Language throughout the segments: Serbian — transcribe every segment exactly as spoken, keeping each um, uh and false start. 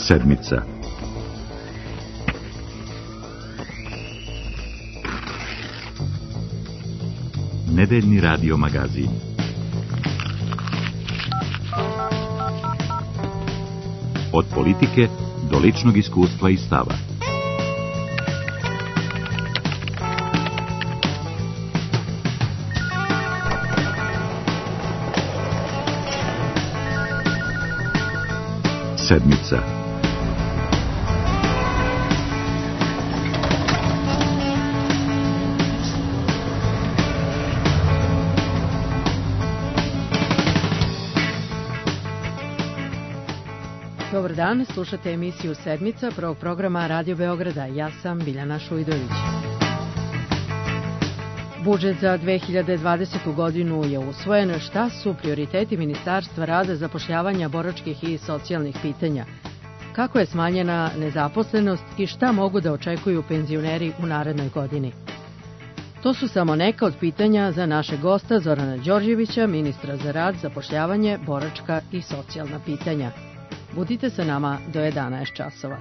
Sedmica. Nedeljni radio magazin. Od politike do ličnog iskustva i stava. Sedmica. Dobar dan, slušate emisiju Sedmica prvog programa Radio Beograda. Ja sam Biljana Šujdović. Budžet za dve hiljade dvadesete. godinu je usvojen. Šta su prioriteti Ministarstva rada, zapošljavanja, boračkih i socijalnih pitanja? Kako je smanjena nezaposlenost i šta mogu da očekuju penzioneri u narednoj godini? To su samo neka od pitanja za našeg gosta Zorana Đorđevića, ministra za rad, zapošljavanje, boračka i socijalna pitanja. Budite sa nama do jedanaest časova.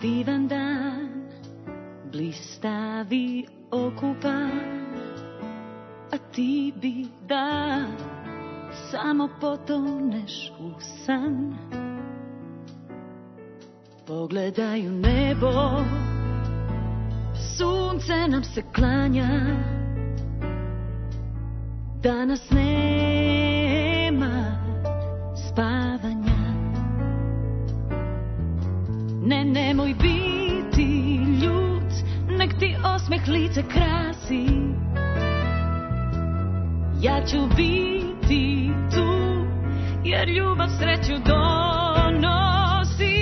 Divan dan, blistavi okupan, a ti bi da samo potoneš u san. Pogledaj u nebo, sunce nam se klanja, danas nema spavanja. Ne, nemoj biti ljut, nek ti osmeh lice krasi. Ja ću biti tu, jer ljubav sreću donosi.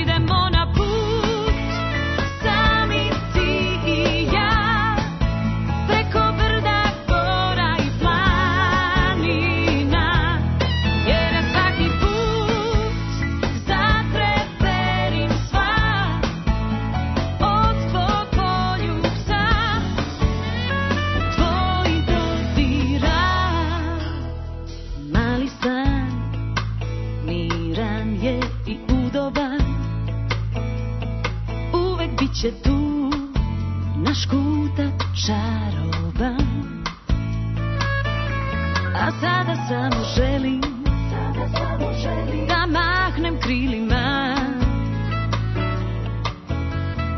Idemo na put, sami ti i ja, preko brda, gora i planina. Jer je svaki put zatreperim sva od tvog poljubca, tvoj dodira. Mali san, miran je i udoban, uvek bit će tu naš kutak čaroban. A sada samo želim, sada samo želim da mahnem krilima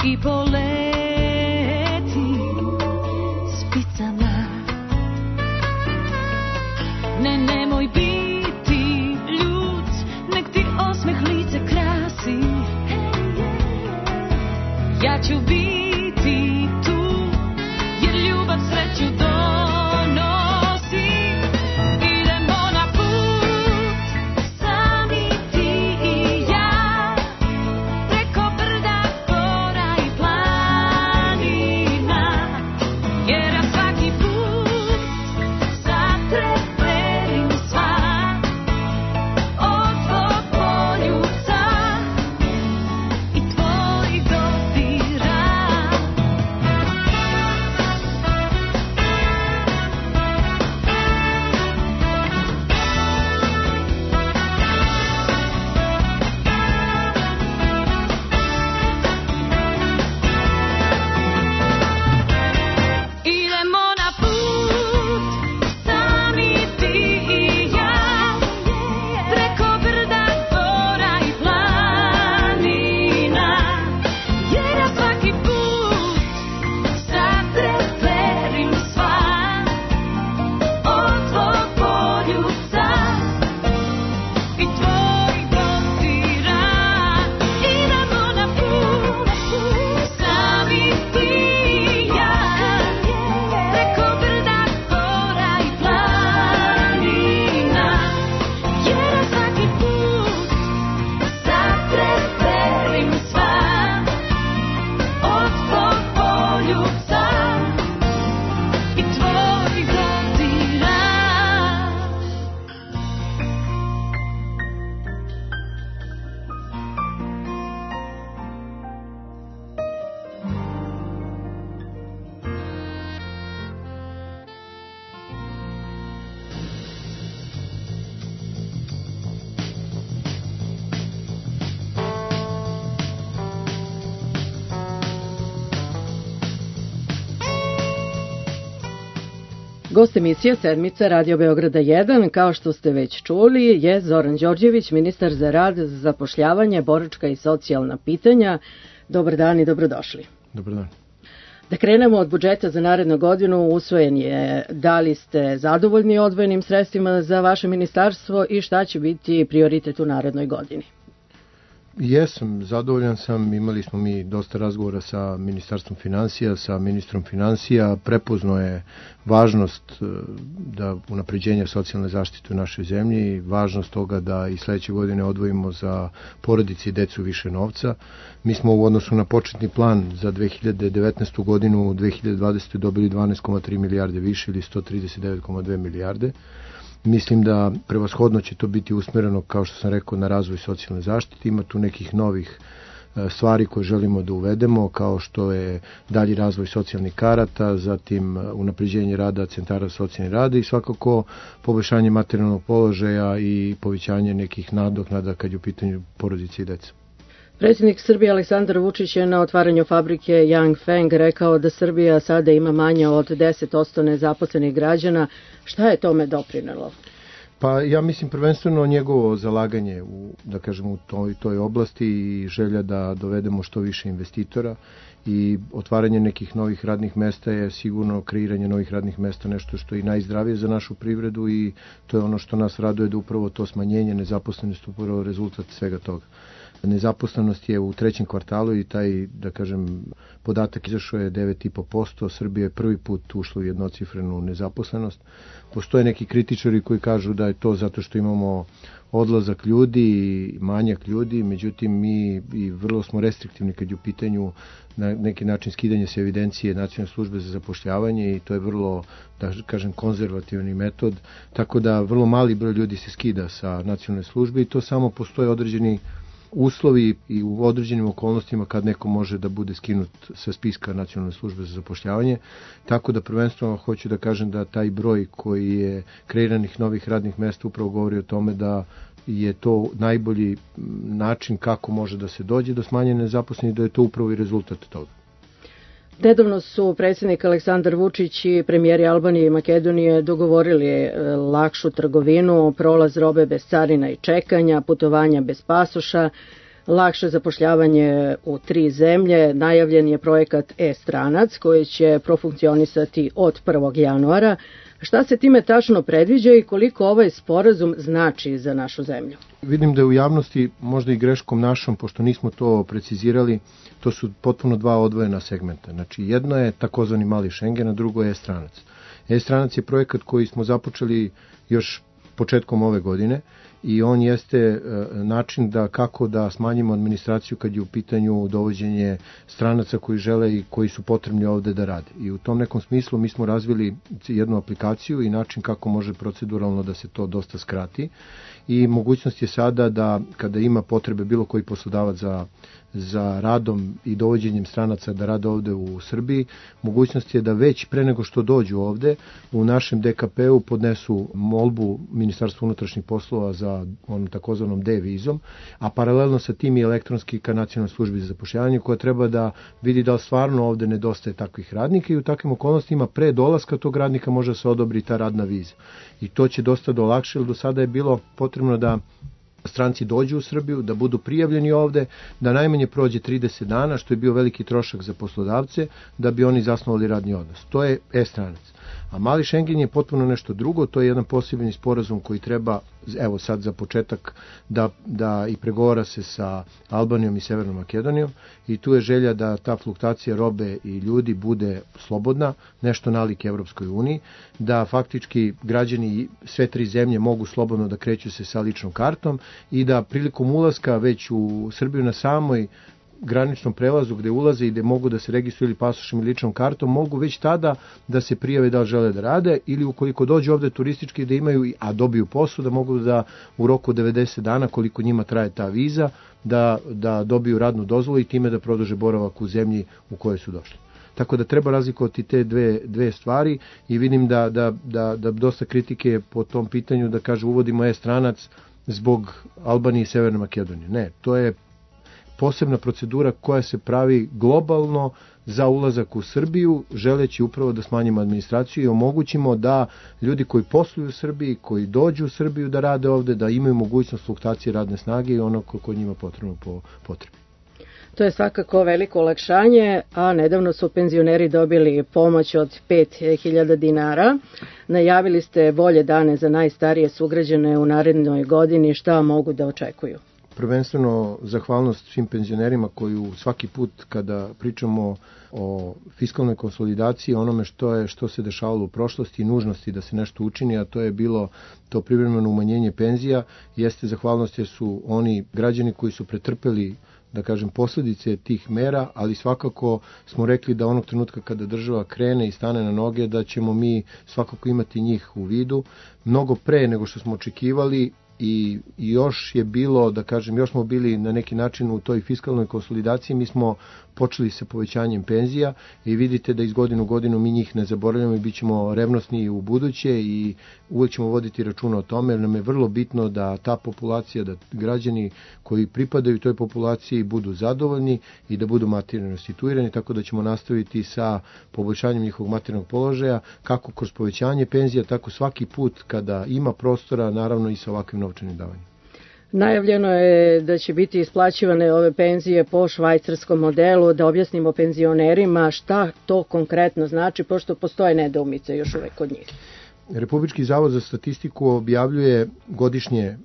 i poletim spicama. Ne, nemoj biti ljut, nek ti osmeh lice krasi. Ja ću biti tu, jer ljubav sreću donosi. Idemo na put, sami ti i ja, preko brda, gora i planina. Jer ja svaki put zatreperim sva od tvog poljubca i tvojih dodira. Gost emisije Sedmica Radio Beograda jedan, kao što ste već čuli, je Zoran Đorđević, ministar za rad, za zapošljavanje, boračka i socijalna pitanja. Dobar dan i dobrodošli. Dobar dan. Da krenemo od budžeta za narednu godinu, usvojen je. Da li ste zadovoljni odvojenim sredstvima za vaše ministarstvo i šta će biti prioritet u narednoj godini? Jesam, zadovoljan sam. Imali smo mi dosta razgovora sa Ministarstvom finansija, sa ministrom finansija. Prepoznao je važnost da unapređenja socijalne zaštite u našoj zemlji, važnost toga da i sledeće godine odvojimo za porodice i decu više novca. Mi smo u odnosu na početni plan za dve hiljade devetnaestu godinu u dve hiljade dvadesete dobili dvanaest zarez tri milijarde više ili sto trideset devet zarez dve milijarde. Mislim da prevashodno će to biti usmereno, kao što sam rekao, na razvoj socijalne zaštite. Ima tu nekih novih stvari koje želimo da uvedemo, kao što je dalji razvoj socijalnih karata, zatim unapređenje rada centara socijalne rada i svakako poboljšanje materijalnog položaja i povećanje nekih nadoknada kad je u pitanju porodice i deca. Predsjednik Srbije Aleksandar Vučić je na otvaranju fabrike Yangfeng rekao da Srbija sada ima manje od deset posto nezaposlenih građana. Šta je tome doprinelo? Pa ja mislim prvenstveno njegovo zalaganje u, da kažem, u toj, toj oblasti i želja da dovedemo što više investitora i otvaranje nekih novih radnih mesta je sigurno kreiranje novih radnih mesta nešto što je i najzdravije za našu privredu i to je ono što nas raduje da upravo to smanjenje nezaposlenosti upravo rezultat svega toga. Nezaposlenost je u trećem kvartalu i taj, da kažem, podatak izašao je devet zarez pet posto. Srbija je prvi put ušla u jednocifrenu nezaposlenost. Postoje neki kritičari koji kažu da je to zato što imamo odlazak ljudi i manjak ljudi, međutim mi i vrlo smo restriktivni kad je u pitanju na neki način skidanje se evidencije Nacionalne službe za zapošljavanje i to je vrlo, da kažem, konzervativni metod, tako da vrlo mali broj ljudi se skida sa nacionalne službe i to samo postoje određeni uslovi i u određenim okolnostima kad neko može da bude skinut sa spiska Nacionalne službe za zapošljavanje. Tako da prvenstveno hoću da kažem da taj broj koji je kreiranih novih radnih mesta upravo govori o tome da je to najbolji način kako može da se dođe do smanjene nezaposlenosti, da je to upravo i rezultat toga. Nedavno su predsjednik Aleksandar Vučić i premijeri Albanije i Makedonije dogovorili lakšu trgovinu, prolaz robe bez carina i čekanja, putovanja bez pasoša, lakše zapošljavanje u tri zemlje. Najavljen je projekat e-stranac koji će profunkcionisati od prvog januara. Šta se time tačno predviđa i koliko ovaj sporazum znači za našu zemlju? Vidim da je u javnosti, možda i greškom našom, pošto nismo to precizirali, to su potpuno dva odvojena segmenta. Znači, jedno je takozvani mali Schengen, a drugo je e-stranac. E-stranac je projekat koji smo započeli još početkom ove godine i on jeste način da kako da smanjimo administraciju kad je u pitanju dovođenje stranaca koji žele i koji su potrebni ovde da rade. I u tom nekom smislu mi smo razvili jednu aplikaciju i način kako može proceduralno da se to dosta skrati i mogućnost je sada da kada ima potrebe bilo koji poslodavac za za radom i dovođenjem stranaca da rade ovde u Srbiji, mogućnost je da već pre nego što dođu ovde u našem D K P-u podnesu molbu Ministarstva unutrašnjih poslova za onom takozvanom D-vizom, a paralelno sa tim i elektronski ka Nacionalnoj službi za zapošljavanje koja treba da vidi da li stvarno ovde nedostaje takvih radnika i u takvim okolnostima pre dolaska tog radnika može da se odobri ta radna viza. I to će dosta da olakša, jer do sada je bilo potrebno da stranci dođu u Srbiju, da budu prijavljeni ovde, da najmanje prođe trideset dana, što je bio veliki trošak za poslodavce, da bi oni zasnovali radni odnos. To je e-stranac. A mali Schengen je potpuno nešto drugo, to je jedan posebni sporazum koji treba, evo sad za početak, da, da i pregovara se sa Albanijom i Severnom Makedonijom i tu je želja da ta fluktacija robe i ljudi bude slobodna, nešto nalik Evropskoj uniji, da faktički građani sve tri zemlje mogu slobodno da kreću se sa ličnom kartom i da prilikom ulaska već u Srbiju na samoj graničnom prelazu gde ulaze i gde mogu da se registruju ili pasošem ili ličnom kartom, mogu već tada da se prijave da li žele da rade ili ukoliko dođu ovde turistički da imaju, a dobiju posao, da mogu da u roku devedeset dana koliko njima traje ta viza, da, da dobiju radnu dozvolu i time da produže boravak u zemlji u kojoj su došli. Tako da treba razlikovati te dve, dve stvari i vidim da, da, da, da dosta kritike po tom pitanju da kaže uvodimo e-stranac zbog Albanije i Severne Makedonije. Ne, to je posebna procedura koja se pravi globalno za ulazak u Srbiju, želeći upravo da smanjimo administraciju i omogućimo da ljudi koji posluju u Srbiji, koji dođu u Srbiju da rade ovde, da imaju mogućnost fluktuacije radne snage i ono koje je njima potrebno po potrebi. To je svakako veliko olakšanje, a nedavno su penzioneri dobili pomoć od pet hiljada dinara. Najavili ste bolje dane za najstarije sugrađane u narednoj godini. Šta mogu da očekuju? Prvenstveno zahvalnost svim penzionerima koji svaki put kada pričamo o fiskalnoj konsolidaciji, onome što je što se dešavalo u prošlosti i nužnosti da se nešto učini, a to je bilo to privremeno umanjenje penzija, jeste zahvalnost jer su oni građani koji su pretrpeli, da kažem, posljedice tih mera, ali svakako smo rekli da onog trenutka kada država krene i stane na noge, da ćemo mi svakako imati njih u vidu, mnogo pre nego što smo očekivali. I još je bilo, da kažem, još smo bili na neki način u toj fiskalnoj konsolidaciji, mi smo počeli sa povećanjem penzija i vidite da iz godine u godinu mi njih ne zaboravljamo i bit ćemo revnosni u buduće i uvek ćemo voditi računa o tome, jer nam je vrlo bitno da ta populacija, da građani koji pripadaju toj populaciji budu zadovoljni i da budu materijalno situirani, tako da ćemo nastaviti sa poboljšanjem njihovog materijalnog položaja, kako kroz povećanje penzija, tako svaki put kada ima prostora, naravno i sa ovakvim novčanim davanjem. Najavljeno je da će biti isplaćivane ove penzije po švajcarskom modelu, da objasnimo penzionerima šta to konkretno znači, pošto postoje nedoumice još uvek kod njih. Republički zavod za statistiku objavljuje godišnje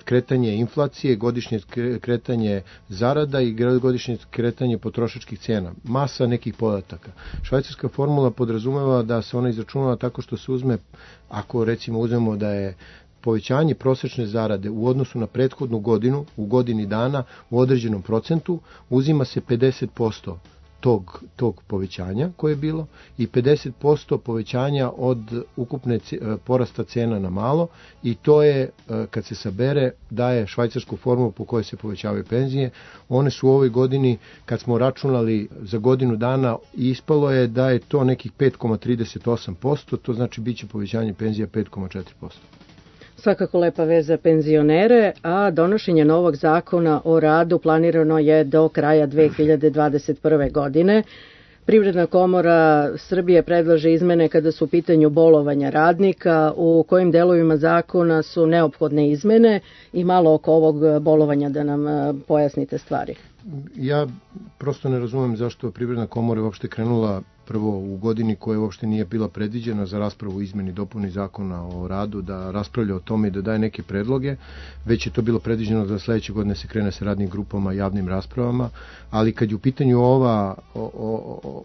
kretanje inflacije, godišnje kretanje zarada i godišnje kretanje potrošačkih cena. Masa nekih podataka. Švajcarska formula podrazumeva da se ona izračunava tako što se uzme, ako recimo uzmemo da je povećanje prosečne zarade u odnosu na prethodnu godinu, u godini dana, u određenom procentu, uzima se pedeset posto tog, tog povećanja koje je bilo i pedeset posto povećanja od ukupne porasta cena na malo i to je, kad se sabere, daje švajcarsku formulu po kojoj se povećavaju penzije. One su u ovoj godini, kad smo računali za godinu dana, ispalo je da je to nekih pet zarez trideset osam posto, to znači bit će povećanje penzija pet zarez četiri posto. Svakako lepa vez za penzionere, a donošenje novog zakona o radu planirano je do kraja dve hiljade dvadeset prve. godine. Privredna komora Srbije predlaže izmene kada su u pitanju bolovanja radnika, u kojim delovima zakona su neophodne izmene i malo oko ovog bolovanja da nam pojasnite stvari. Ja prosto ne razumem zašto Privredna komora uopšte krenula prvo u godini koja uopšte nije bila predviđena za raspravu izmeni dopuni zakona o radu, da raspravlja o tome i da daje neke predloge, već je to bilo predviđeno da sledeće godine se krene sa radnim grupama, javnim raspravama, ali kad je u pitanju ova, o, o,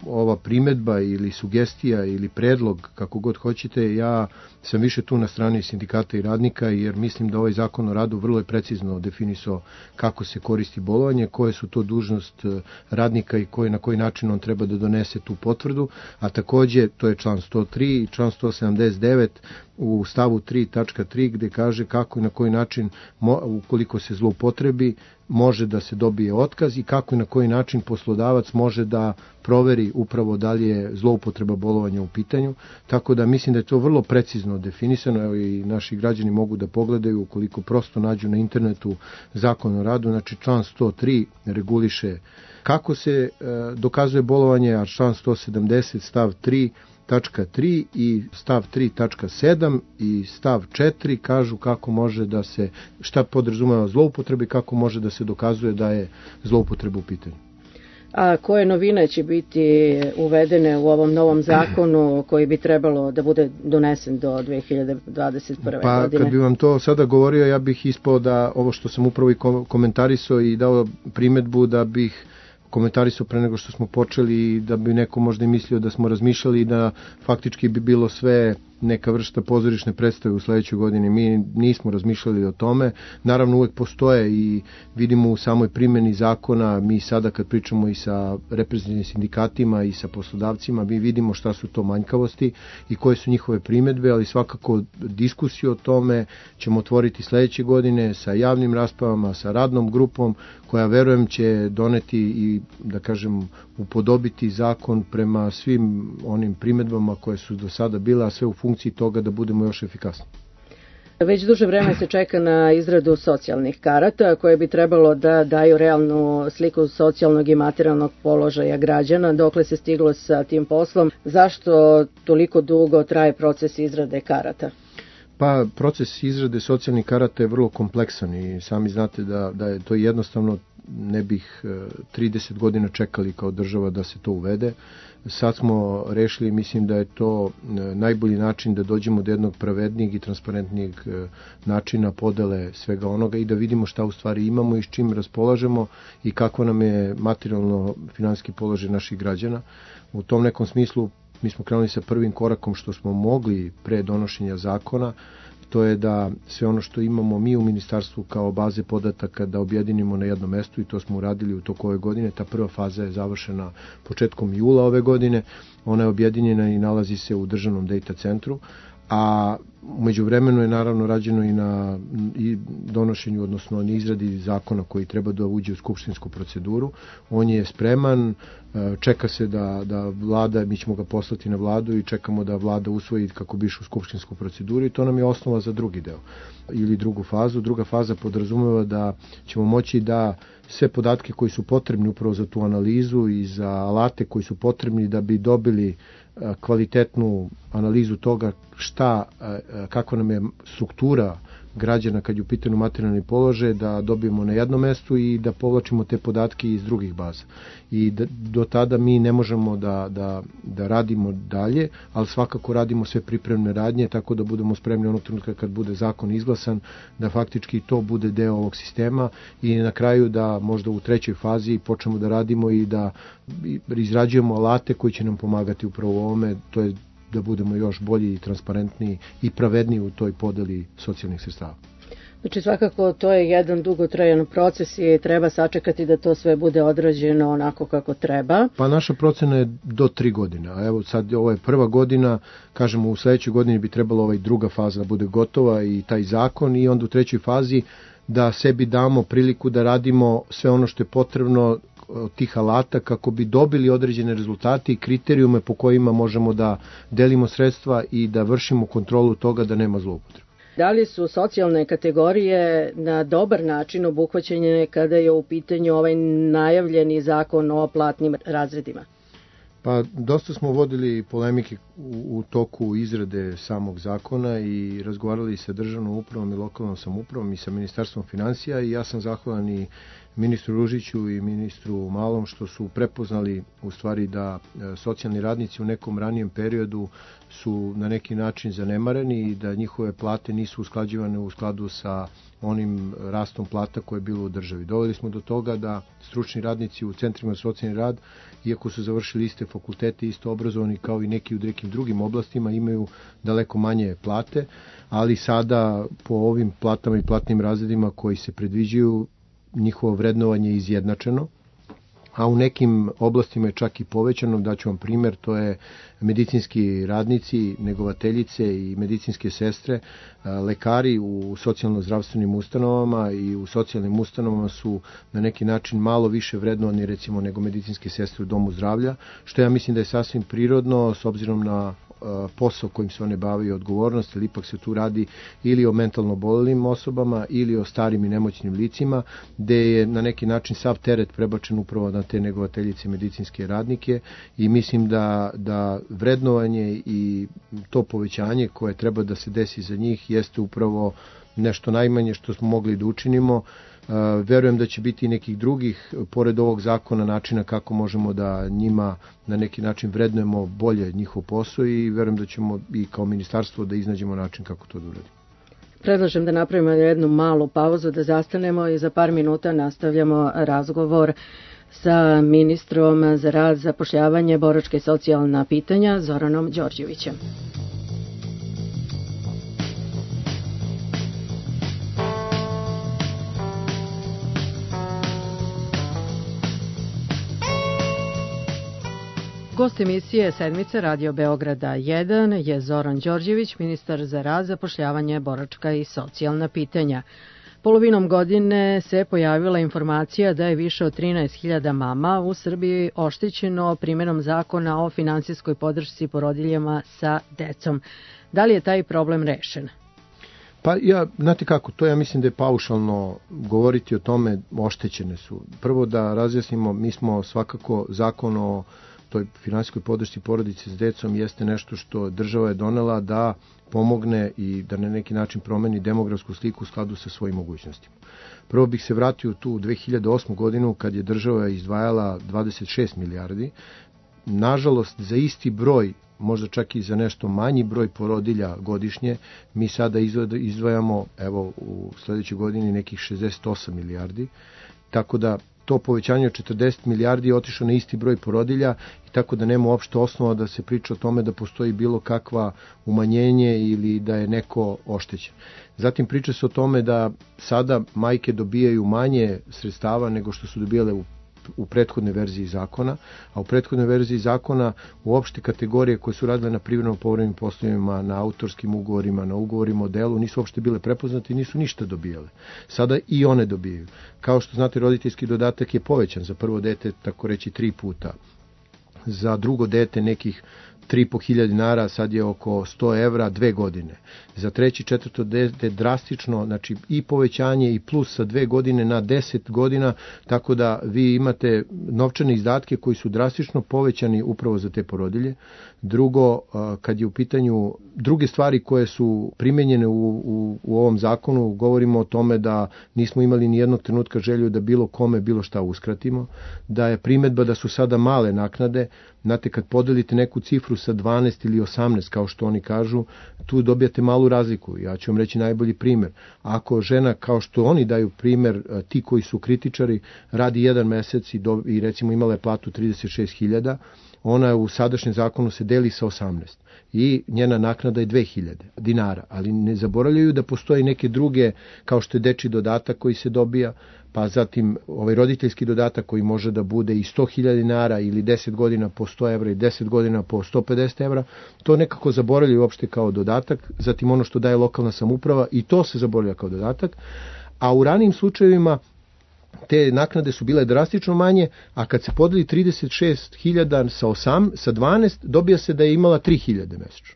ova primetba ili sugestija ili predlog, kako god hoćete, ja sam više tu na strani sindikata i radnika, jer mislim da ovaj zakon o radu vrlo je precizno definisao kako se koristi bolovanje, koje su to dužnost radnika i koji, na koji način on treba da donese tu potvrdu, a takođe to je član sto tri i član sto sedamdeset devet u stavu tri tačka tri gde kaže kako i na koji način, ukoliko se zloupotrebi, može da se dobije otkaz i kako i na koji način poslodavac može da proveri upravo da li je zloupotreba bolovanja u pitanju, tako da mislim da je to vrlo precizno definisano i naši građani mogu da pogledaju ukoliko prosto nađu na internetu zakon o radu, znači član sto tri reguliše kako se e, dokazuje bolovanje, a član sto sedamdeset stav tri tačka tri i stav tri tačka sedam i stav četiri kažu kako može da se, šta podrazumeva zloupotrebe i kako može da se dokazuje da je zloupotreba u pitanju. A koje novine će biti uvedene u ovom novom zakonu koji bi trebalo da bude donesen do dve hiljade dvadeset prve. Pa, godine? Kad bi vam to sada govorio, ja bih ispao da ovo što sam upravo i komentarisao i dao primetbu da bih komentarisao pre nego što smo počeli, da bi neko možda i mislio da smo razmišljali da faktički bi bilo sve neka vrsta pozorišne predstave u sledećoj godini. Mi nismo razmišljali o tome. Naravno uvek postoje i vidimo u samoj primjeni zakona, mi sada kad pričamo i sa reprezentativnim sindikatima i sa poslodavcima, mi vidimo šta su to manjkavosti i koje su njihove primedbe, ali svakako diskusiju o tome ćemo otvoriti sledeće godine sa javnim raspravama, sa radnom grupom koja verujem će doneti i da kažem upodobiti zakon prema svim onim primedbama koje su do sada bile, a sve u funkciji toga da budemo još efikasni. Već duže vreme se čeka na izradu socijalnih karata koje bi trebalo da daju realnu sliku socijalnog i materijalnog položaja građana. Dokle se stiglo sa tim poslom? Zašto toliko dugo traje proces izrade karata? Pa proces izrade socijalnih karata je vrlo kompleksan i sami znate da, da je to jednostavno, ne bih trideset godina čekali kao država da se to uvede. Sad smo rešili, mislim da je to najbolji način da dođemo do jednog pravednijeg i transparentnijeg načina podele svega onoga i da vidimo šta u stvari imamo i s čim raspolažemo i kako nam je materijalno finansijski položaj naših građana. U tom nekom smislu mi smo krenuli sa prvim korakom što smo mogli pre donošenja zakona, to je da sve ono što imamo mi u ministarstvu kao baze podataka da objedinimo na jednom mestu i to smo uradili u toku ove godine. Ta prva faza je završena početkom jula ove godine, ona je objedinjena i nalazi se u državnom data centru, a umeđu vremenu je naravno rađeno i na i donošenju, odnosno na izradi zakona koji treba da uđe u skupštinsku proceduru. On je spreman, čeka se da, da vlada, mi ćemo ga poslati na vladu i čekamo da vlada usvoji kako bi išao u skupštinsku proceduru i to nam je osnova za drugi deo ili drugu fazu. Druga faza podrazumeva da ćemo moći da sve podatke koji su potrebni upravo za tu analizu i za alate koji su potrebni da bi dobili kvalitetnu analizu toga šta, kakva nam je struktura građana kad je u pitanju materijalni položaj, da dobijemo na jednom mestu i da povlačimo te podatke iz drugih baza. I da, do tada mi ne možemo da, da, da radimo dalje, ali svakako radimo sve pripremne radnje, tako da budemo spremni onog trenutka kad bude zakon izglasan, da faktički to bude deo ovog sistema i na kraju da možda u trećoj fazi počnemo da radimo i da izrađujemo alate koji će nam pomagati upravo u ovome, to je da budemo još bolji i transparentniji i pravedniji u toj podeli socijalnih sredstava. Znači svakako to je jedan dugotrajan proces i treba sačekati da to sve bude odrađeno onako kako treba. Pa naša procena je do tri godine, a evo sad ovo je prva godina, kažemo u sledećoj godini bi trebalo ovaj druga faza da bude gotova i taj zakon i onda u trećoj fazi da sebi damo priliku da radimo sve ono što je potrebno od tih alata kako bi dobili određene rezultate i kriterijume po kojima možemo da delimo sredstva i da vršimo kontrolu toga da nema zloupotrebe. Da li su socijalne kategorije na dobar način obuhvaćene kada je u pitanju ovaj najavljeni zakon o platnim razredima? Pa dosta smo vodili polemike u, u toku izrade samog zakona i razgovarali sa državnom upravom i lokalnom samoupravom i sa ministarstvom finansija i ja sam zahvalan i ministru Ružiću i ministru Malom što su prepoznali u stvari da socijalni radnici u nekom ranijem periodu su na neki način zanemareni i da njihove plate nisu usklađivane u skladu sa onim rastom plata koje je bilo u državi. Doveli smo do toga da stručni radnici u centrima za socijalni rad, iako su završili iste fakultete, isto obrazovani kao i neki u nekim drugim oblastima, imaju daleko manje plate, ali sada po ovim platama i platnim razredima koji se predviđaju, njihovo vrednovanje je izjednačeno, a u nekim oblastima je čak i povećano. Daću vam primer, to je medicinski radnici, negovateljice i medicinske sestre, lekari u socijalno-zdravstvenim ustanovama i u socijalnim ustanovama su na neki način malo više vrednovani recimo nego medicinske sestre u domu zdravlja, što ja mislim da je sasvim prirodno s obzirom na posao kojim se one bave i odgovornost, ali ipak se tu radi ili o mentalno oboljelim osobama ili o starim i nemoćnim licima, gde je na neki način sav teret prebačen upravo na te negovateljice medicinske radnike i mislim da, da vrednovanje i to povećanje koje treba da se desi za njih jeste upravo nešto najmanje što smo mogli da učinimo. Uh, verujem da će biti i nekih drugih, pored ovog zakona, načina kako možemo da njima na neki način vrednujemo bolje njihov posao i verujem da ćemo i kao ministarstvo da iznađemo način kako to da uradimo. Predlažem da napravimo jednu malu pauzu, da zastanemo i za par minuta nastavljamo razgovor sa ministrom za rad, zapošljavanje, boračka i socijalna pitanja Zoranom Đorđevićem. Gost emisije Sedmice Radio Beograda jedan je Zoran Đorđević, ministar za rad, zapošljavanje, boračka i socijalna pitanja. Polovinom godine se pojavila informacija da je više od trinaest hiljada mama u Srbiji oštećeno primjenom zakona o finansijskoj podršci porodiljama sa decom. Da li je taj problem rešen? Pa ja, znate kako, to ja mislim da je paušalno govoriti o tome, oštećene su. Prvo da razjasnimo, mi smo svakako zakon o toj finansijskoj podršci porodici s decom jeste nešto što država je donela da pomogne i da na neki način promeni demografsku sliku u skladu sa svojim mogućnostima. Prvo bih se vratio tu u dve hiljade osmu godinu kad je država izdvajala dvadeset šest milijardi. Nažalost, za isti broj, možda čak i za nešto manji broj porodilja godišnje, mi sada izdvajamo, evo, u sledećoj godini nekih šezdeset osam milijardi, tako da to povećanje od četrdeset milijardi je otišlo na isti broj porodilja i tako da nema uopšte osnova da se priča o tome da postoji bilo kakva umanjenje ili da je neko oštećen. Zatim priča se o tome da sada majke dobijaju manje sredstava nego što su dobijale u u prethodnoj verziji zakona, a u prethodnoj verziji zakona uopšte kategorije koje su radile na privremeno povremenim poslovima, na autorskim ugovorima, na ugovorima o delu, nisu uopšte bile prepoznate i nisu ništa dobijale. Sada i one dobijaju. Kao što znate, roditeljski dodatak je povećan za prvo dete, tako reći, tri puta. Za drugo dete nekih tri i po hiljade dinara, sad je oko sto evra, dve godine. Za treći, četvrto dete drastično, znači i povećanje i plus sa dve godine na deset godina, tako da vi imate novčane izdatke koji su drastično povećani upravo za te porodilje. Drugo, kad je u pitanju druge stvari koje su primenjene u, u, u ovom zakonu, govorimo o tome da nismo imali ni jednog trenutka želju da bilo kome bilo šta uskratimo, da je primetba da su sada male naknade. Znate, kad podelite neku cifru sa dvanaest ili osamnaest, kao što oni kažu, tu dobijate malu razliku. Ja ću vam reći najbolji primer. Ako žena, kao što oni daju primer, ti koji su kritičari, radi jedan mesec i, do, i recimo imala je platu trideset šest hiljada, ona u sadašnjem zakonu se deli sa osamnaest i njena naknada je dve hiljade dinara, ali ne zaboravljaju da postoji neke druge, kao što je dečji dodatak koji se dobija, pa zatim ovaj roditeljski dodatak koji može da bude i sto hiljada dinara ili deset godina po sto evra i deset godina po sto pedeset evra, to nekako zaboravljaju uopšte kao dodatak, zatim ono što daje lokalna samouprava i to se zaboravlja kao dodatak, a u ranijim slučajevima te naknade su bile drastično manje, a kad se podeli trideset šest hiljada sa osam, sa dvanaest, dobija se da je imala tri hiljade mesečno.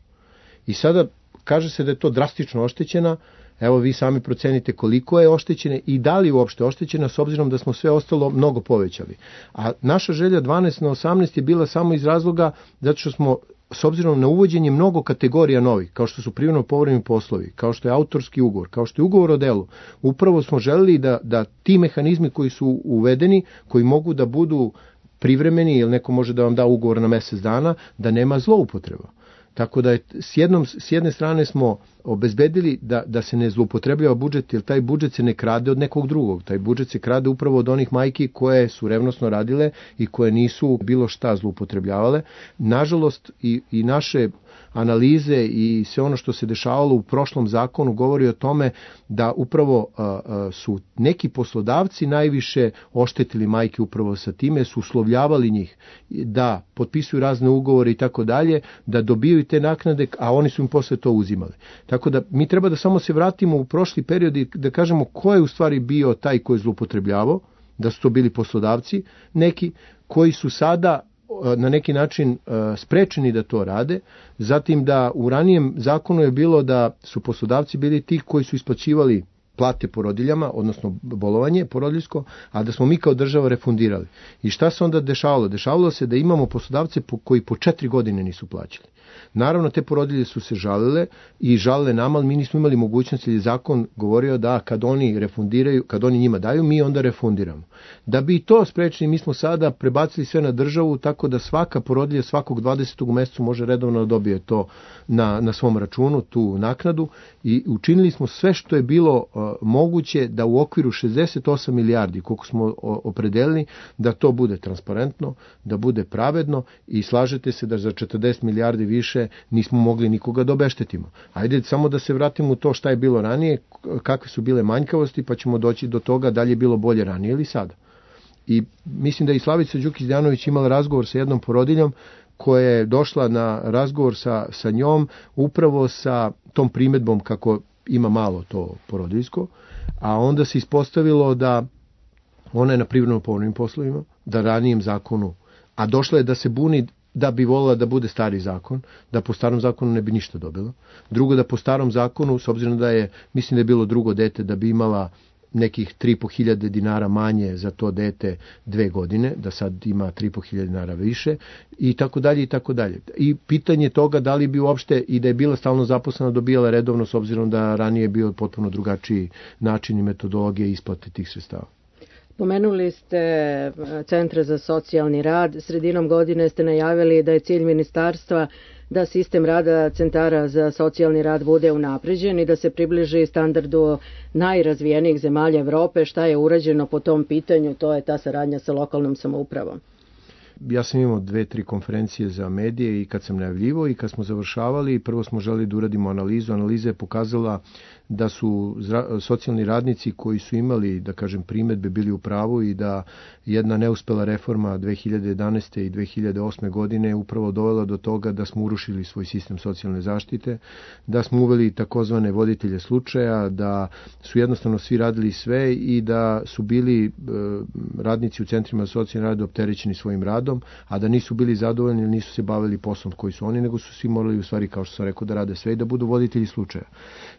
I sada kaže se da je to drastično oštećena. Evo vi sami procenite koliko je oštećena i da li je uopšte oštećena, s obzirom da smo sve ostalo mnogo povećali. A naša želja dvanaest na osamnaest je bila samo iz razloga zato što smo, s obzirom na uvođenje mnogo kategorija novih, kao što su privremeno povremeni poslovi, kao što je autorski ugovor, kao što je ugovor o delu, upravo smo želeli da, da ti mehanizmi koji su uvedeni, koji mogu da budu privremeni, ili neko može da vam da ugovor na mesec dana, da nema zloupotreba. Tako da je, s, jednom, s jedne strane smo obezbedili da, da se ne zloupotrebljava budžet, jer taj budžet se ne krade od nekog drugog. Taj budžet se krade upravo od onih majki koje su revnosno radile i koje nisu bilo šta zloupotrebljavale. Nažalost, i, i naše analize i sve ono što se dešavalo u prošlom zakonu govori o tome da upravo a, a, su neki poslodavci najviše oštetili majke upravo sa time, su uslovljavali njih da potpisuju razne ugovore i tako dalje, da dobijaju te naknade, a oni su im posle to uzimali. Tako da mi treba da samo se vratimo u prošli period i da kažemo ko je u stvari bio taj koji je zloupotrebljavao, da su to bili poslodavci, neki koji su sada na neki način sprečeni da to rade, zatim da u ranijem zakonu je bilo da su poslodavci bili ti koji su isplaćivali plate porodiljama, odnosno bolovanje porodiljsko, a da smo mi kao država refundirali. I šta se onda dešavalo? Dešavalo se da imamo poslodavce koji po četiri godine nisu plaćali. Naravno, te porodilje su se žalile i žalile nama, ali mi nismo imali mogućnost, jer je zakon govorio da kad oni refundiraju, kad oni njima daju, mi onda refundiramo. Da bi to sprečili, mi smo sada prebacili sve na državu, tako da svaka porodilja svakog dvadesetog u mesecu može redovno da dobije to na, na svom računu, tu naknadu, i učinili smo sve što je bilo uh, moguće da u okviru šezdeset osam milijardi, koliko smo opredelili, da to bude transparentno, da bude pravedno, i slažete se da za četrdeset milijardi više nismo mogli nikoga da obeštetimo. Ajde samo da se vratimo u to šta je bilo ranije, kakve su bile manjkavosti, pa ćemo doći do toga da li je bilo bolje ranije ili sada. I mislim da je i Slavica Đukić-Dejanović imala razgovor sa jednom porodiljom koja je došla na razgovor sa, sa njom upravo sa tom primedbom kako ima malo to porodiljsko, a onda se ispostavilo da ona je na privremeno povremenim poslovima, da ranijem zakonu, a došla je da se buni da bi volila da bude stari zakon, da po starom zakonu ne bi ništa dobila. Drugo, da po starom zakonu, s obzirom da je, mislim da je bilo drugo dete, da bi imala nekih tri i po hiljade dinara manje za to dete dve godine, da sad ima tri i po hiljade dinara više, i tako dalje, i tako dalje. I pitanje toga da li bi uopšte, i da je bila stalno zaposlena, dobijala redovno, s obzirom da ranije je bio potpuno drugačiji način i metodologije isplate tih sredstava. Pomenuli ste centre za socijalni rad. Sredinom godine ste najavili da je cilj ministarstva da sistem rada centara za socijalni rad bude unapređen i da se približi standardu najrazvijenijih zemalja Evrope. Šta je urađeno po tom pitanju? To je ta saradnja sa lokalnom samoupravom. Ja sam imao dve, tri konferencije za medije i kad sam najavljivo i kad smo završavali, prvo smo želeli da uradimo analizu. Analiza je pokazala da su socijalni radnici koji su imali, da kažem, primedbe bili u pravu i da jedna neuspela reforma dve hiljade jedanaeste. i dve hiljade osme. godine upravo dovela do toga da smo urušili svoj sistem socijalne zaštite, da smo uveli takozvane voditelje slučaja, da su jednostavno svi radili sve i da su bili e, radnici u centrima za socijalni rad opterećeni svojim radom, a da nisu bili zadovoljni ili nisu se bavili poslom koji su oni, nego su svi morali u stvari, kao što sam rekao, da rade sve i da budu voditelji slučaja.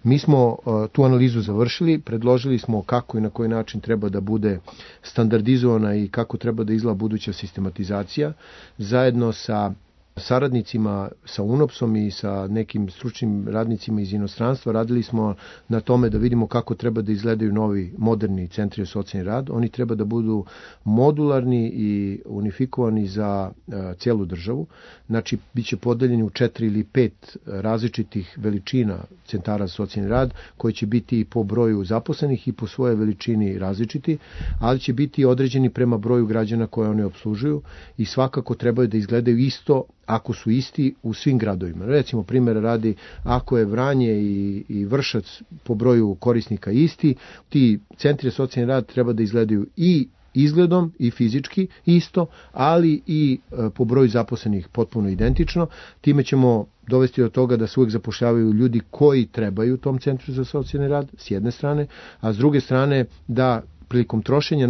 Mi smo tu analizu završili, predložili smo kako i na koji način treba da bude standardizovana i kako treba da izgleda buduća sistematizacija, zajedno sa saradnicima, sa UNOPS-om i sa nekim stručnim radnicima iz inostranstva. Radili smo na tome da vidimo kako treba da izgledaju novi moderni centri za socijalni rad. Oni treba da budu modularni i unifikovani za uh, cijelu državu. Znači, bit će podeljeni u četiri ili pet različitih veličina centara za socijalni rad, koji će biti po broju zaposlenih i po svojoj veličini različiti, ali će biti određeni prema broju građana koje oni obslužuju i svakako trebaju da izgledaju isto ako su isti u svim gradovima. Recimo, primjer radi, ako je Vranje i, i Vršac po broju korisnika isti, ti centri za socijalni rad treba da izgledaju i izgledom i fizički isto, ali i e, po broju zaposlenih potpuno identično. Time ćemo dovesti do toga da se uvijek zapošljavaju ljudi koji trebaju u tom centru za socijalni rad, s jedne strane, a s druge strane da prilikom trošenja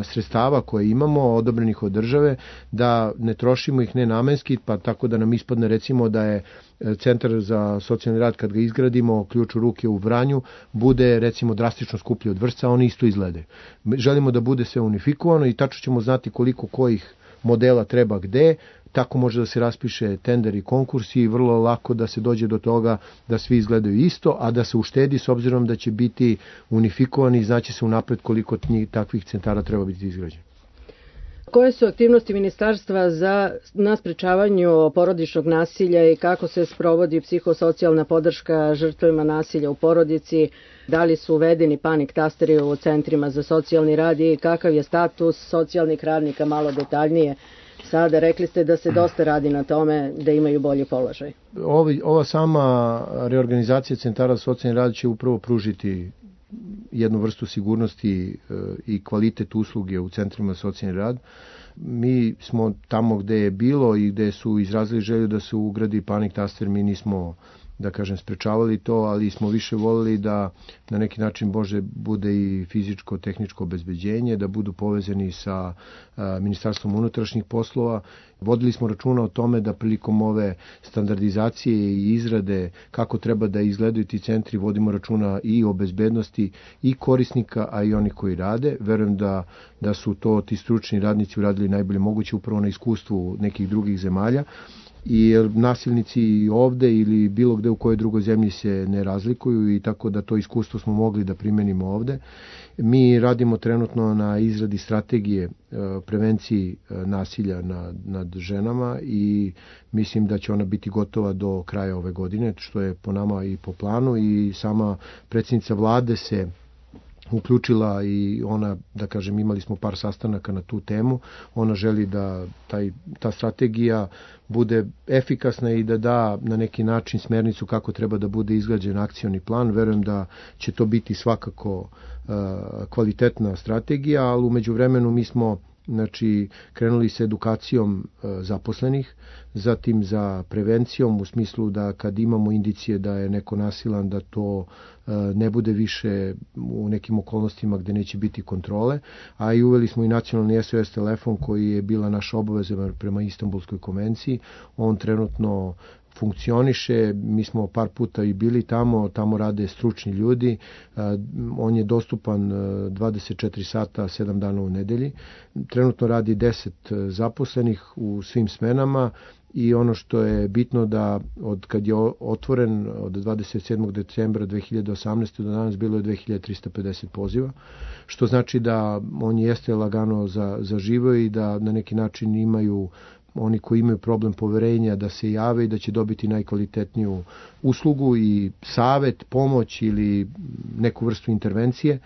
sredstava koje imamo, odobrenih od države, da ne trošimo ih nenamenski, pa tako da nam ispadne recimo da je centar za socijalni rad, kad ga izgradimo, ključ u ruke u Vranju, bude recimo drastično skuplji od Vršca, oni isto izglede. Želimo da bude sve unifikovano i tačno ćemo znati koliko kojih modela treba gde, tako može da se raspiše tender i konkurs i vrlo lako da se dođe do toga da svi izgledaju isto, a da se uštedi s obzirom da će biti unifikovani i znači se unapred koliko takvih centara treba biti izgrađeno. Koje su aktivnosti ministarstva za na sprečavanju porodičnog nasilja i kako se sprovodi psihosocijalna podrška žrtvama nasilja u porodici? Da li su uvedeni panik tasteri u centrima za socijalni rad i kakav je status socijalnih radnika, malo detaljnije? Sada rekli ste da se dosta radi na tome da imaju bolji položaj. Ovi, ova sama reorganizacija centara za socijalni rad će upravo pružiti jednu vrstu sigurnosti i kvalitet usluge u centrima za socijalni rad. Mi smo tamo gde je bilo i gde su izrazili želju da se ugradi panik taster, mi nismo, da kažem, sprečavali to, ali smo više volili da na neki način može bude i fizičko, tehničko obezbeđenje, da budu povezani sa a, Ministarstvom unutrašnjih poslova. Vodili smo računa o tome da prilikom ove standardizacije i izrade kako treba da izgledaju ti centri, vodimo računa i o bezbednosti i korisnika, a i oni koji rade. Verujem da, da su to ti stručni radnici uradili najbolje moguće upravo na iskustvu nekih drugih zemalja. I nasilnici ovde ili bilo gde u kojoj drugoj zemlji se ne razlikuju i tako da to iskustvo smo mogli da primenimo ovde. Mi radimo trenutno na izradi strategije prevenciji nasilja nad, nad ženama i mislim da će ona biti gotova do kraja ove godine, što je po nama i po planu, i sama predsjednica vlade se uključila i ona, da kažem, imali smo par sastanaka na tu temu. Ona želi da taj, ta strategija bude efikasna i da da na neki način smernicu kako treba da bude izgrađen akcioni plan. Verujem da će to biti svakako uh, kvalitetna strategija, ali umeđu vremenu mi smo znači krenuli sa edukacijom zaposlenih, zatim za prevencijom u smislu da kad imamo indicije da je neko nasilan, da to ne bude više u nekim okolnostima gde neće biti kontrole, a i uveli smo i nacionalni S O S telefon koji je bila naša obaveza prema Istanbulskoj konvenciji. On trenutno funkcioniše, mi smo par puta i bili tamo, tamo rade stručni ljudi, on je dostupan dvadeset četiri sata, sedam dana u nedelji. Trenutno radi deset zaposlenih u svim smenama i ono što je bitno da od kad je otvoren od dvadeset sedmog decembra dve hiljade osamnaeste do danas bilo je dve hiljade trista pedeset poziva, što znači da on jeste lagano za, zaživio i da na neki način imaju oni koji imaju problem poverenja da se jave i da će dobiti najkvalitetniju uslugu i savet, pomoć ili neku vrstu intervencije.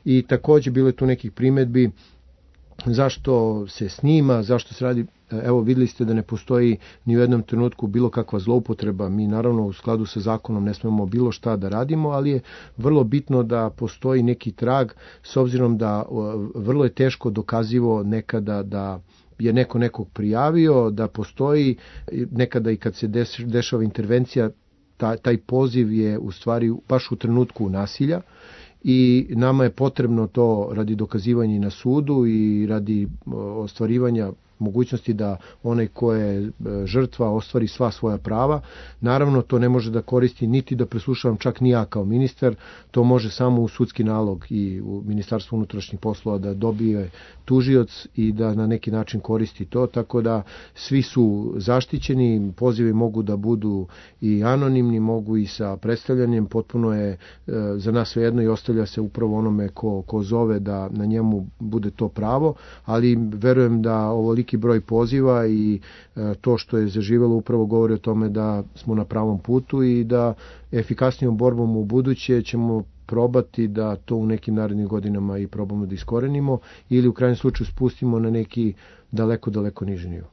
I takođe bilo je tu nekih primedbi zašto se snima, zašto se radi. Evo, videli ste da ne postoji ni u jednom trenutku bilo kakva zloupotreba. Mi naravno u skladu sa zakonom ne smemo bilo šta da radimo, ali je vrlo bitno da postoji neki trag, s obzirom da vrlo je teško dokazivo nekada da je neko nekog prijavio, da postoji nekada i kad se dešava intervencija, taj, taj poziv je u stvari baš u trenutku nasilja i nama je potrebno to radi dokazivanja na sudu i radi ostvarivanja mogućnosti da onaj ko je žrtva ostvari sva svoja prava. Naravno, to ne može da koristi niti da preslušavam čak ni ja kao ministar, to može samo u sudski nalog i u Ministarstvu unutrašnjih poslova da dobije tužioc i da na neki način koristi to, tako da svi su zaštićeni, pozivi mogu da budu i anonimni, mogu i sa predstavljanjem, potpuno je za nas svejedno i ostavlja se upravo onome ko, ko zove da na njemu bude to pravo, ali verujem da ovo broj poziva i to što je zaživelo upravo govori o tome da smo na pravom putu i da efikasnijom borbom u buduće ćemo probati da to u nekim narednim godinama i probamo da iskorenimo ili u krajnjem slučaju spustimo na neki daleko, daleko niži nivo.